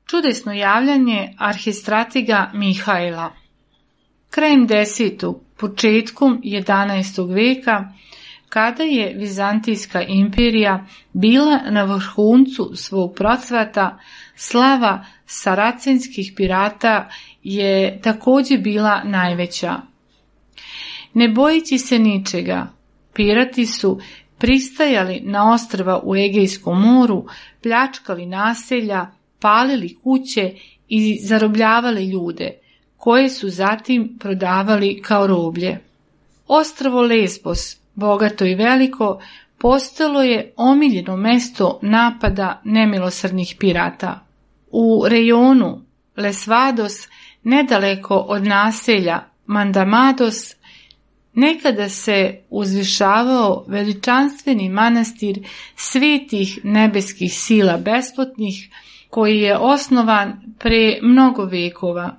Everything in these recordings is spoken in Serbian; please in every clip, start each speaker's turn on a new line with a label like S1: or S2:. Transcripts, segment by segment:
S1: Čudesno javljanje arhistratega Mihajla. Krajem 10. početkom 11. veka, kada je Vizantijska imperija bila na vrhuncu svog procvata, slava saracenskih pirata je također bila najveća. Ne bojeći se ničega, pirati su pristajali na ostrva u Egejskom moru, pljačkali naselja, palili kuće i zarobljavali ljude, koje su zatim prodavali kao roblje. Ostrvo Lesbos, bogato i veliko, postalo je omiljeno mesto napada nemilosrdnih pirata. U rejonu Lesvados, nedaleko od naselja Mandamados, nekada se uzvišavao veličanstveni manastir svetih nebeskih sila besplatnih, koji je osnovan pre mnogo vekova.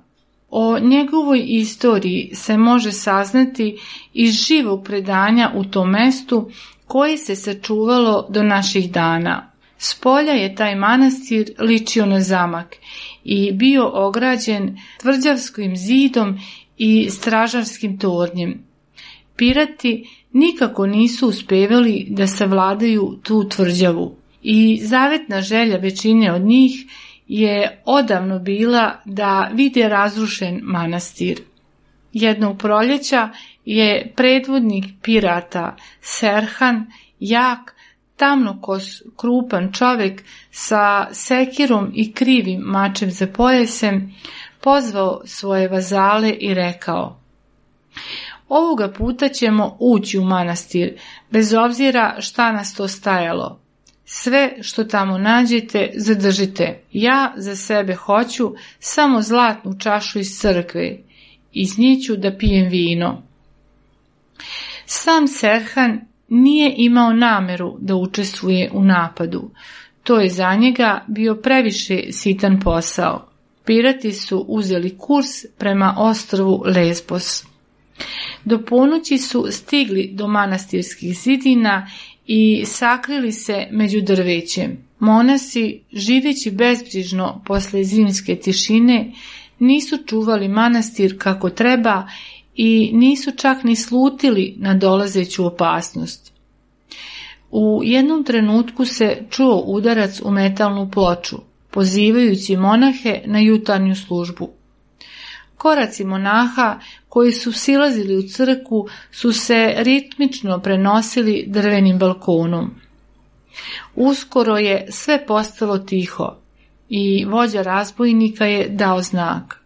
S1: O njegovoj istoriji se može saznati iz živog predanja u tom mestu, koje se sačuvalo do naših dana. Spolja je taj manastir ličio na zamak i bio ograđen tvrđavskim zidom i stražarskim tornjem. Pirati nikako nisu uspevali da savladaju tu tvrđavu i zavetna želja većine od njih je odavno bila da vide razrušen manastir. Jednog proljeća je predvodnik pirata Serhan, jak, tamnokos, krupan čovjek sa sekirom i krivim mačem za pojasem, pozvao svoje vazale i rekao: "Ovoga puta ćemo ući u manastir, bez obzira šta nas to stajalo. Sve što tamo nađete, zadržite. Ja za sebe hoću samo zlatnu čašu iz crkve. Iz nje ću da pijem vino." Sam Serhan nije imao nameru da učestvuje u napadu. To je za njega bio previše sitan posao. Pirati su uzeli kurs prema ostrvu Lesbos. Do ponoći su stigli do manastirskih zidina i sakrili se među drvećem. Monasi, živeći bezbrižno posle zimske tišine, nisu čuvali manastir kako treba i nisu čak ni slutili na dolazeću opasnost. U jednom trenutku se čuo udarac u metalnu ploču, pozivajući monahe na jutarnju službu. Koraci monaha koji su silazili u crkvu su se ritmično prenosili drvenim balkonom. Uskoro je sve postalo tiho i vođa razbojnika je dao znak.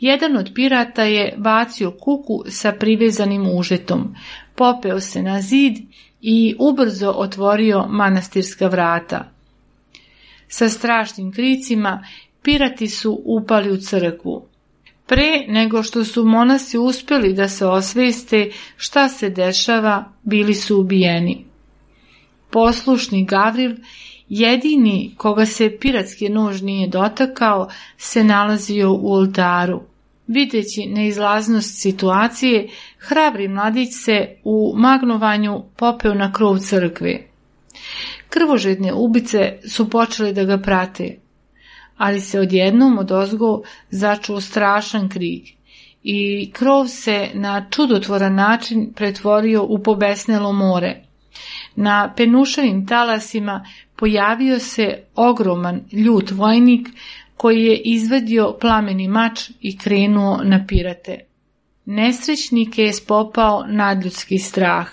S1: Jedan od pirata je bacio kuku sa privezanim užetom, popeo se na zid i ubrzo otvorio manastirska vrata. Sa strašnim kricima pirati su upali u crkvu. Pre nego što su monasi uspjeli da se osveste šta se dešava, bili su ubijeni. Poslušni Gavril, jedini koga se piratski nož nije dotakao, se nalazio u oltaru. Videći neizlaznost situacije, Hrabri mladić se u magnovanju popeo na krov crkve. Krvožedne ubice su počeli da ga prate, ali se odjednom odozgo začuo strašan krik i krov se na čudotvoran način pretvorio u pobesnelo more. Na penušavim talasima pojavio se ogroman ljut vojnik koji je izvadio plameni mač i krenuo na pirate. Nesrećnike je spopao nadljudski strah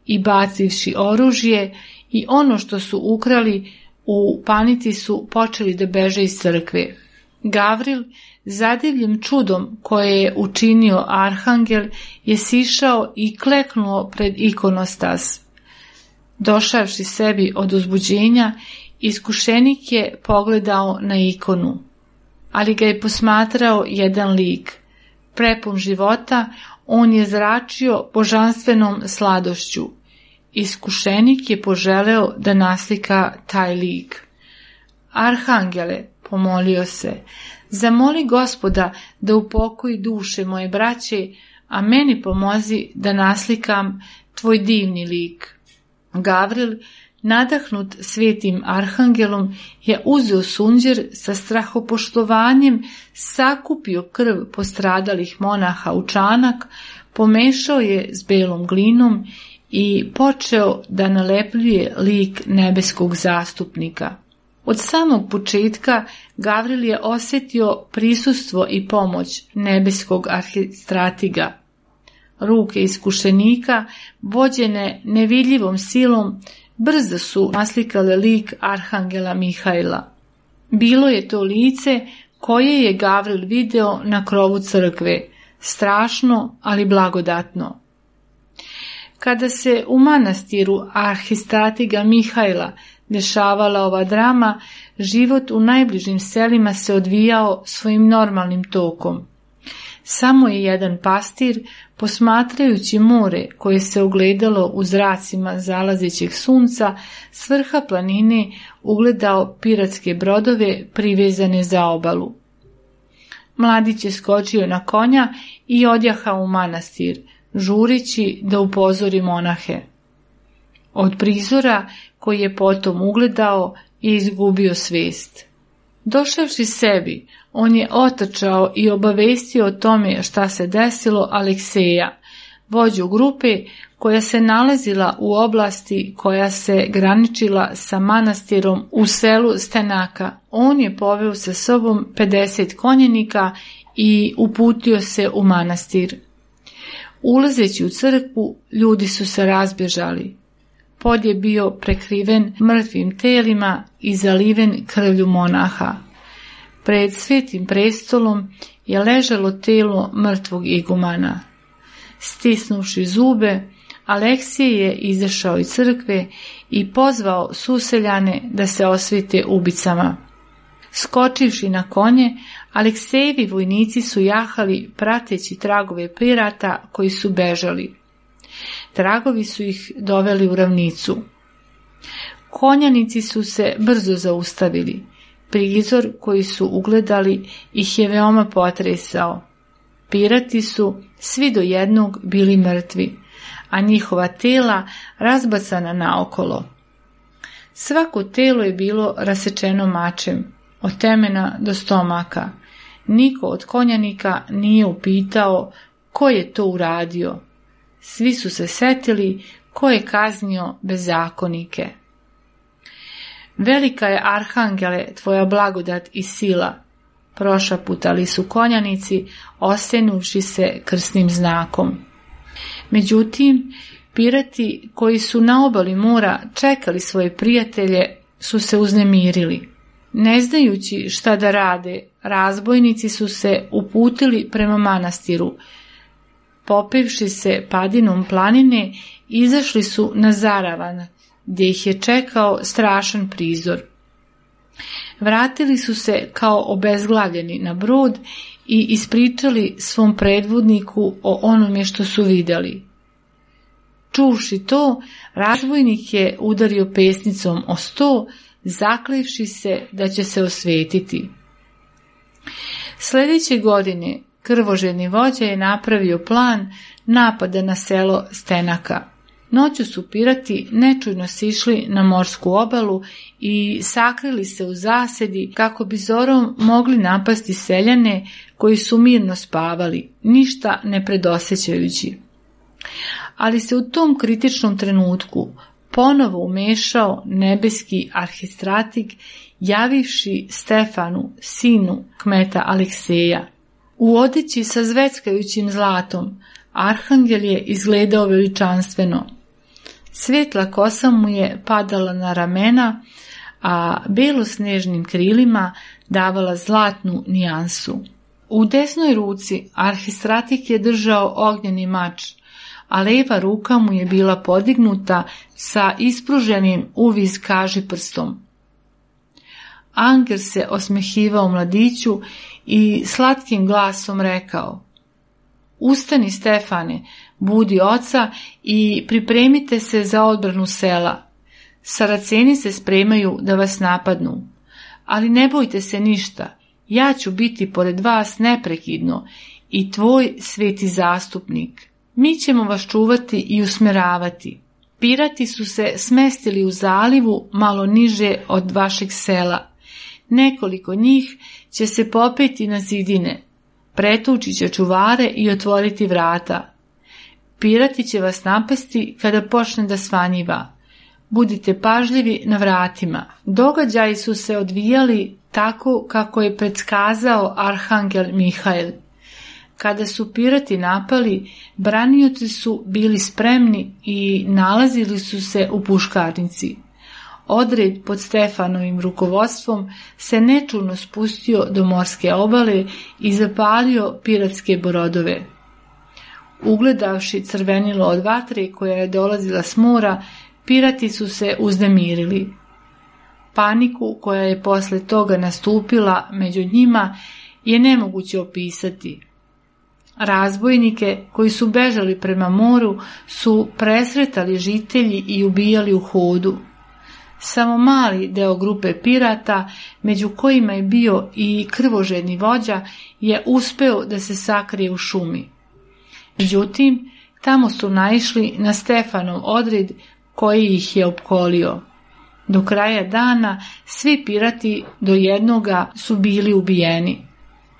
S1: i bacivši oružje i ono što su ukrali, u panici su počeli da beže iz crkve. Gavril, zadivljen čudom koje je učinio arhangel, je sišao i kleknuo pred ikonostas. Došavši sebi od uzbuđenja, iskušenik je pogledao na ikonu, ali ga je posmatrao jedan lik. Prepun života, on je zračio božanstvenom sladošću. Iskušenik je poželeo da naslika taj lik. Arhangele, pomolio se, zamoli Gospoda da upokoji duše moje braće, a meni pomozi da naslikam tvoj divni lik. Gavril, nadahnut svetim arhangelom, je uzeo sunđer, sa strahopoštovanjem sakupio krv postradalih monaha u čanak, pomešao je s belom glinom i počeo da nalepljuje lik nebeskog zastupnika. Od samog početka Gavril je osjetio prisustvo i pomoć nebeskog arhistratiga. Ruke iskušenika, vođene nevidljivom silom, brzo su naslikale lik arhangela Mihajla. Bilo je to lice koje je Gavril video na krovu crkve, strašno, ali blagodatno. Kada se u manastiru arhistratiga Mihajla dešavala ova drama, život u najbližim selima se odvijao svojim normalnim tokom. Samo je jedan pastir, posmatrajući more koje se ogledalo u zracima zalazećeg sunca, s vrha planine ugledao piratske brodove privezane za obalu. Mladić je skočio na konja i odjahao u manastir, žureći da upozori monahe. Od prizora koji je potom ugledao je izgubio svest. Došavši sebi, on je otrčao i obavestio o tome šta se desilo Alekseja, vođu grupe koja se nalazila u oblasti koja se graničila sa manastirom u selu Stenaka. On je poveo sa sobom 50 konjenika i uputio se u manastir. Ulazeći u crkvu, ljudi su se razbježali. Pod je bio prekriven mrtvim telima i zaliven krvlju monaha. Pred svetim prestolom je ležalo telo mrtvog igumana. Stisnuvši zube, Aleksije je izašao iz crkve i pozvao suseljane da se osvete ubicama. Skočivši na konje, Aleksejevi vojnici su jahali prateći tragove pirata koji su bežali. Tragovi su ih doveli u ravnicu. Konjanici su se brzo zaustavili. Prizor koji su ugledali ih je veoma potresao. Pirati su svi do jednog bili mrtvi, a njihova tela razbacana naokolo. Svako telo je bilo rasečeno mačem, od temena do stomaka. Niko od konjanika nije upitao ko je to uradio. Svi su se setili ko je kaznio bezakonike. Velika je, arhangele, tvoja blagodat i sila, prošaputali su konjanici, osenuvši se krsnim znakom. Međutim, pirati koji su na obali mora čekali svoje prijatelje su se uznemirili. Ne znajući šta da rade, razbojnici su se uputili prema manastiru. Popevši se padinom planine, izašli su na zaravan, gdje ih je čekao strašan prizor. Vratili su se kao obezglavljeni na brod i ispričali svom predvodniku o onome što su vidjeli. Čuvši to, razbojnik je udario pesnicom o sto, zaklevši se da će se osvetiti. Sljedeće godine krvožedni vođa je napravio plan napada na selo Stenaka. Noću su pirati nečujno sišli na morsku obalu i sakrili se u zasedi kako bi zorom mogli napasti seljane koji su mirno spavali, ništa ne predosećajući. Ali se u tom kritičnom trenutku ponovo umešao nebeski arhistratig, javivši Stefanu, sinu kmeta Alekseja. U odeći sa zveckajućim zlatom, arhangel je izgledao veličanstveno. Svetla kosa mu je padala na ramena, a belosnežnim krilima davala zlatnu nijansu. U desnoj ruci arhistratik je držao ognjeni mač, a leva ruka mu je bila podignuta sa ispruženim uviz kažiprstom. Angel se osmehivao mladiću i slatkim glasom rekao: "Ustani, Stefane, budi oca i pripremite se za odbranu sela. Saraceni se spremaju da vas napadnu, ali ne bojte se ništa, ja ću biti pored vas neprekidno i tvoj sveti zastupnik. Mi ćemo vas čuvati i usmeravati." Pirati su se smestili u zalivu malo niže od vašeg sela. Nekoliko njih će se popeti na zidine, pretući će čuvare i otvoriti vrata. Pirati će vas napasti kada počne da svanjiva. Budite pažljivi na vratima. Događaji su se odvijali tako kako je predskazao arhangel Mihail. Kada su pirati napali, branioci su bili spremni i nalazili su se u puškarnici. Odred pod Stefanovim rukovodstvom se nečulno spustio do morske obale i zapalio piratske brodove. Ugledavši crvenilo od vatre koja je dolazila s mora, pirati su se uznemirili. Paniku koja je posle toga nastupila među njima je nemoguće opisati. Razbojnike koji su bežali prema moru su presretali žitelji i ubijali u hodu. Samo mali deo grupe pirata, među kojima je bio i krvožedni vođa, je uspeo da se sakrije u šumi. Međutim, tamo su naišli na Stefanov odred koji ih je opkolio. Do kraja dana svi pirati do jednoga su bili ubijeni.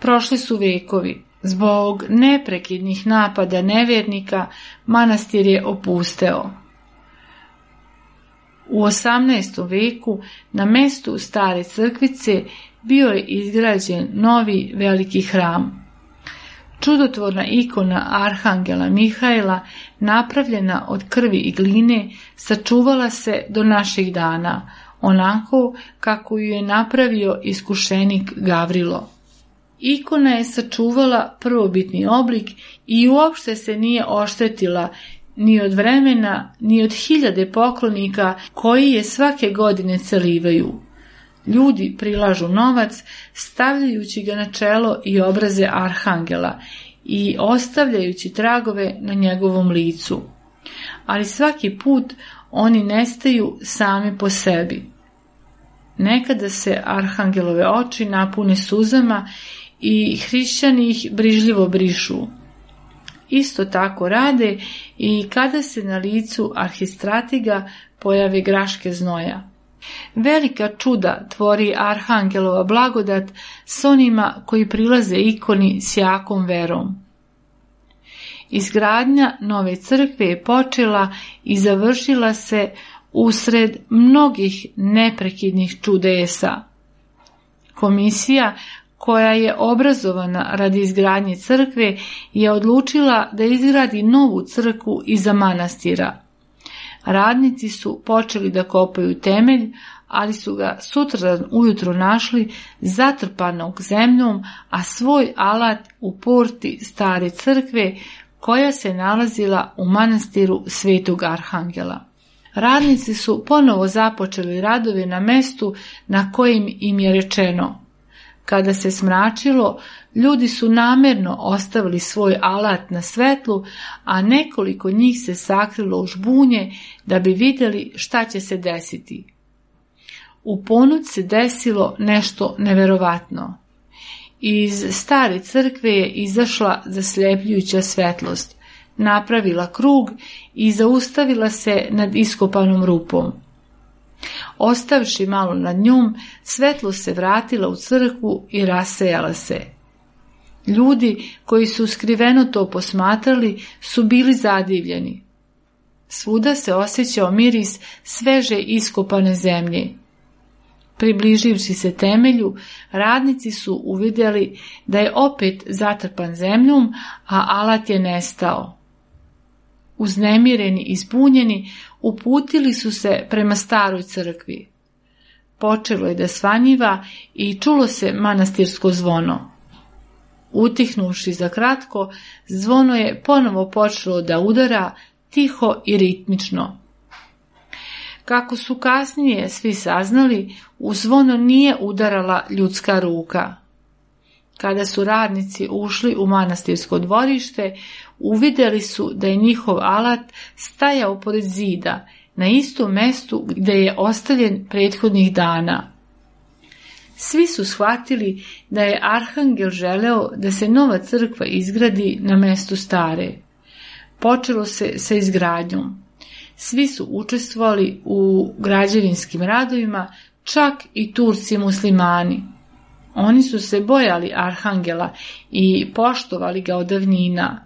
S1: Prošli su vekovi. Zbog neprekidnih napada nevernika manastir je opusteo. U 18. veku na mestu stare crkvice bio je izgrađen novi veliki hram. Čudotvorna ikona arhangela Mihaila, napravljena od krvi i gline, sačuvala se do naših dana, onako kako ju je napravio iskušenik Gavrilo. Ikona je sačuvala prvobitni oblik i uopšte se nije oštetila ni od vremena, ni od hiljade poklonika koji je svake godine celivaju. Ljudi prilažu novac, stavljajući ga na čelo i obraze arhangela i ostavljajući tragove na njegovom licu. Ali svaki put oni nestaju sami po sebi. Nekada se arhangelove oči napune suzama i hrišćani ih brižljivo brišu. Isto tako rade i kada se na licu arhistratiga pojave graške znoja. Velika čuda tvori arhangelova blagodat s onima koji prilaze ikoni s jakom verom. Izgradnja nove crkve je počela i završila se usred mnogih neprekidnih čudesa. Komisija koja je obrazovana radi izgradnje crkve je odlučila da izgradi novu crkvu iza manastira. Radnici su počeli da kopaju temelj, ali su ga sutradan ujutro našli zatrpanog zemljom, a svoj alat u porti stare crkve koja se nalazila u manastiru Svetog Arhangela. Radnici su ponovo započeli radove na mestu na kojim im je rečeno. Kada se smračilo, ljudi su namerno ostavili svoj alat na svetlu, a nekoliko njih se sakrilo u žbunje da bi vidjeli šta će se desiti. U ponoć se desilo nešto neverovatno. Iz stare crkve je izašla zasljepljujuća svetlost. napravila krug i zaustavila se nad iskopanom rupom. Ostavši malo nad njom, svetlo se vratila u crkvu i rasejala se. Ljudi koji su skriveno to posmatrali su bili zadivljeni. Svuda se osjećao miris sveže iskopane zemlje. Približivši se temelju, radnici su uvidjeli da je opet zatrpan zemljom, a alat je nestao. Uznemireni i zbunjeni, uputili su se prema staroj crkvi. Počelo je da svanjiva i čulo se manastirsko zvono. Utihnuši za kratko, zvono je ponovo počelo da udara tiho i ritmično. Kako su kasnije svi saznali, u zvono nije udarala ljudska ruka. Kada su radnici ušli u manastirsko dvorište, uvidjeli su da je njihov alat stajao pored zida, na istom mestu gdje je ostavljen prethodnih dana. Svi su shvatili da je arhangel želeo da se nova crkva izgradi na mestu stare. Počelo se sa izgradnjom. Svi su učestvovali u građevinskim radovima, čak i Turci muslimani. Oni su se bojali arhangela i poštovali ga od davnina.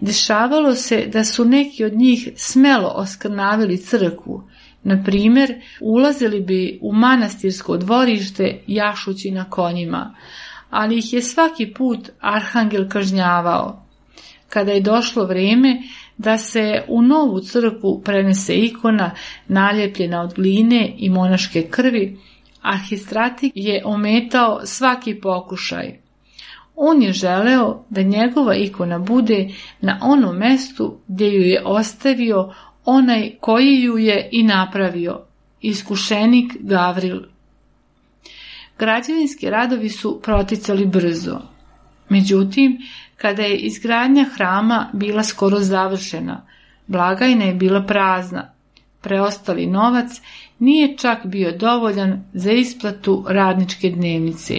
S1: Dešavalo se da su neki od njih smelo oskrnavili crkvu. Na primjer, ulazili bi u manastirsko dvorište jašući na konjima, ali ih je svaki put arhangel kažnjavao. Kada je došlo vrijeme da se u novu crkvu prenese ikona naljepljena od gline i monaške krvi, arhistratik je ometao svaki pokušaj. On je želeo da njegova ikona bude na onom mestu gdje ju je ostavio onaj koji ju je i napravio, iskušenik Gavril. Građevinski radovi su proticali brzo. Međutim, kada je izgradnja hrama bila skoro završena, blagajna je bila prazna. Preostali novac nije čak bio dovoljan za isplatu radničke dnevnice.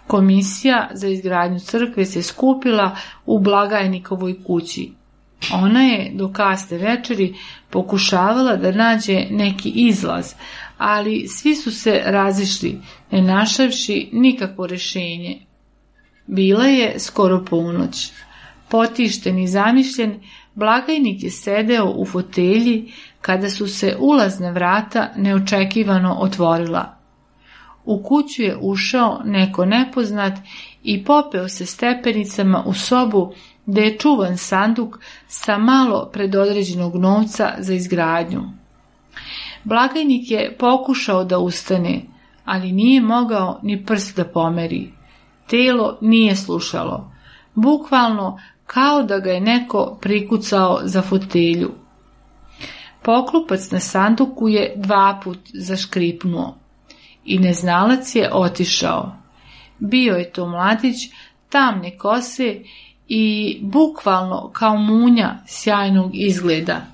S1: Komisija za izgradnju crkve se skupila u blagajnikovoj kući. Ona je do kasne večeri pokušavala da nađe neki izlaz, ali svi su se razišli, ne našavši nikakvo rješenje. Bila je skoro ponoć. Potišten i zamišljen, blagajnik je sedeo u fotelji kada su se ulazna vrata neočekivano otvorila. U kuću je ušao neko nepoznat i popeo se stepenicama u sobu gdje je čuvan sanduk sa malo predodređenog novca za izgradnju. Blagajnik je pokušao da ustane, ali nije mogao ni prst da pomeri. Telo nije slušalo, bukvalno kao da ga je neko prikucao za fotelju. Poklopac na sanduku je 2 puta zaškripnuo i neznalac je otišao. Bio je to mladić tamne kose i bukvalno kao munja sjajnog izgleda.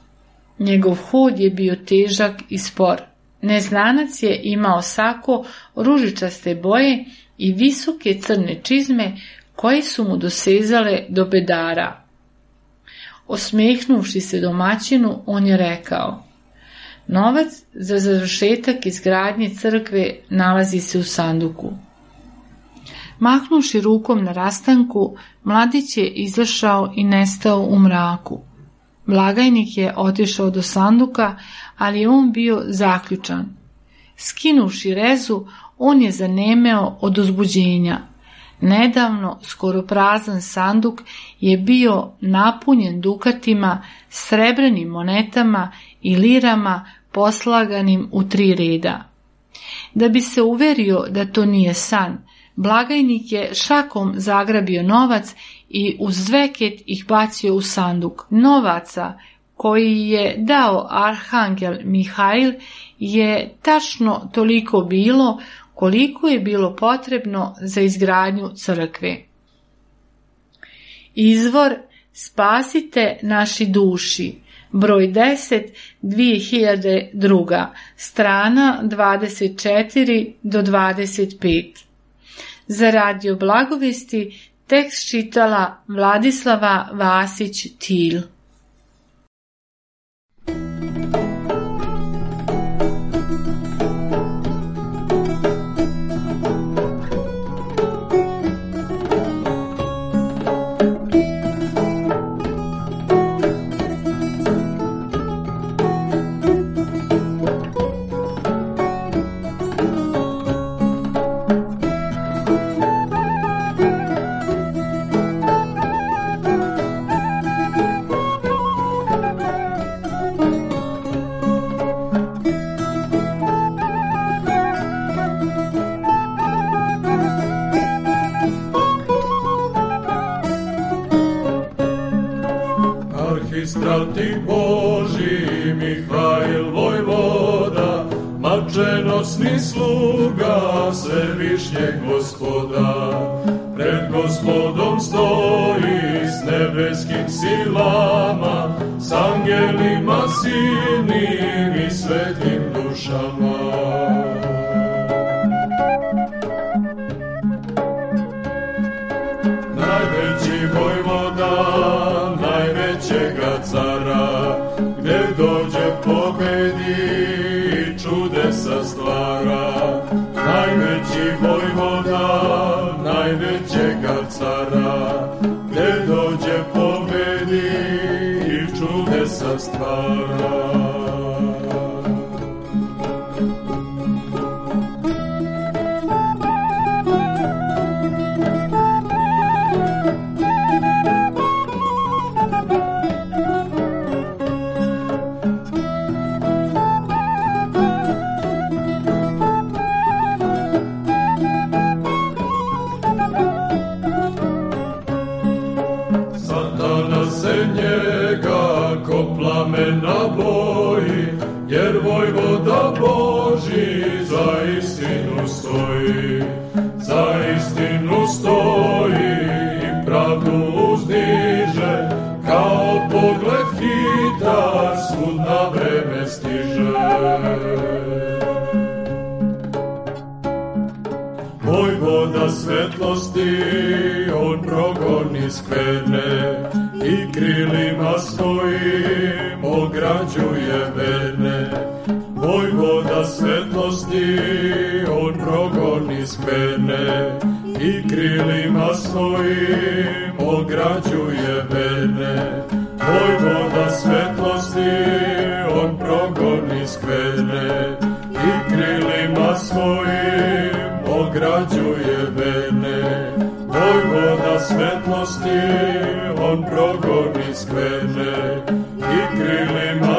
S1: Njegov hod je bio težak i spor. Neznanac je imao sako ružičaste boje i visoke crne čizme koje su mu dosezale do bedara. Osmehnuši se domaćinu, on je rekao: novac za završetak izgradnje crkve nalazi se u sanduku. Mahnuši rukom na rastanku, mladić je izašao i nestao u mraku. Blagajnik je otišao do sanduka, ali je on bio zaključan. Skinuši rezu, on je zanemeo od uzbuđenja. Nedavno skoro prazan sanduk je bio napunjen dukatima, srebrenim monetama i lirama poslaganim u 3 reda. Da bi se uverio da to nije san, blagajnik je šakom zagrabio novac i uz zveket ih bacio u sanduk. Novaca koji je dao arhangel Mihail je tačno toliko bilo koliko je bilo potrebno za izgradnju crkve. Izvor Spasite naši duši, broj 10, 2002, strana 24 do 25. Za radio Blagovesti Tekst čitala Vladislava Vasić-Tilj.
S2: Arhistrati Boži Mihajl vojvoda, mačenosni sluga Svevišnjeg Gospoda, pred Gospodom stoji s nebeskim silama, s angelima silnim i svetim dušama. Najveći vojvoda najvećega cara, gde dođe pobedi i čudesa stvara. Najveći vojvoda najvećega cara, gde dođe pobedi i čudesa stvara. Plamena boji, jer vojvoda Boži za istinu stoji, za istinu stoji i pravdu uzdiže, kao pogled hitar svud na vreme stiže. Vojvoda svetlosti, on progoni skverne i krilima svojim ograđuje verne. Vojvoda svetlosti, on progoni skverne i krilima svojim ograđuje verne. Vojvoda svetlosti, on progoni skverne i krilima svojim ograđuje verne. Vojvoda svetlosti, on progoni skverne i krilima